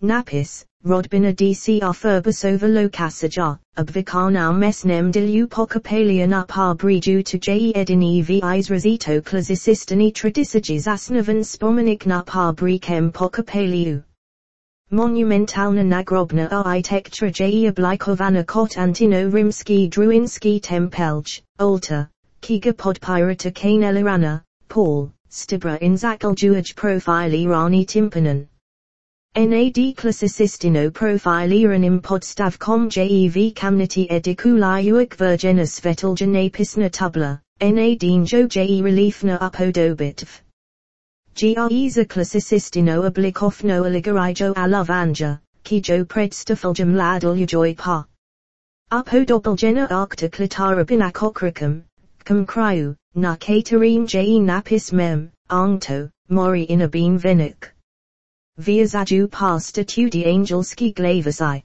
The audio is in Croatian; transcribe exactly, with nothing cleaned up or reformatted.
napis, rodbina dcr furbus over locasaja, obvicarnau mesnem dilu pocapalian up arbriju to je edin evis rosito clasicistani tradisages asnavan spomenic nup arbricem pocapaliu. Monumentalna nagrobna architectura je oblikovanna kot Antino Rimski Druinski tempelj, altar, kiga podpirata kane elerana, Paul, stibra in zakaljuaj profile rani timpanan. Nad classicistino profile iranim podstavcom jev camnity ediculi virginus veteljanapis tubla, nadinjo je reliefna upodobitv. Greiza classicistino oblikofno oligarijo alovanja, kijo predstafuljum ladulujoj pa. Upodobeljena arcta clitarabin acocricum, cum cryu, na caterim je napis mem, angto, mori inabin vinuk. Via zaju pa statudi angelski glavasi.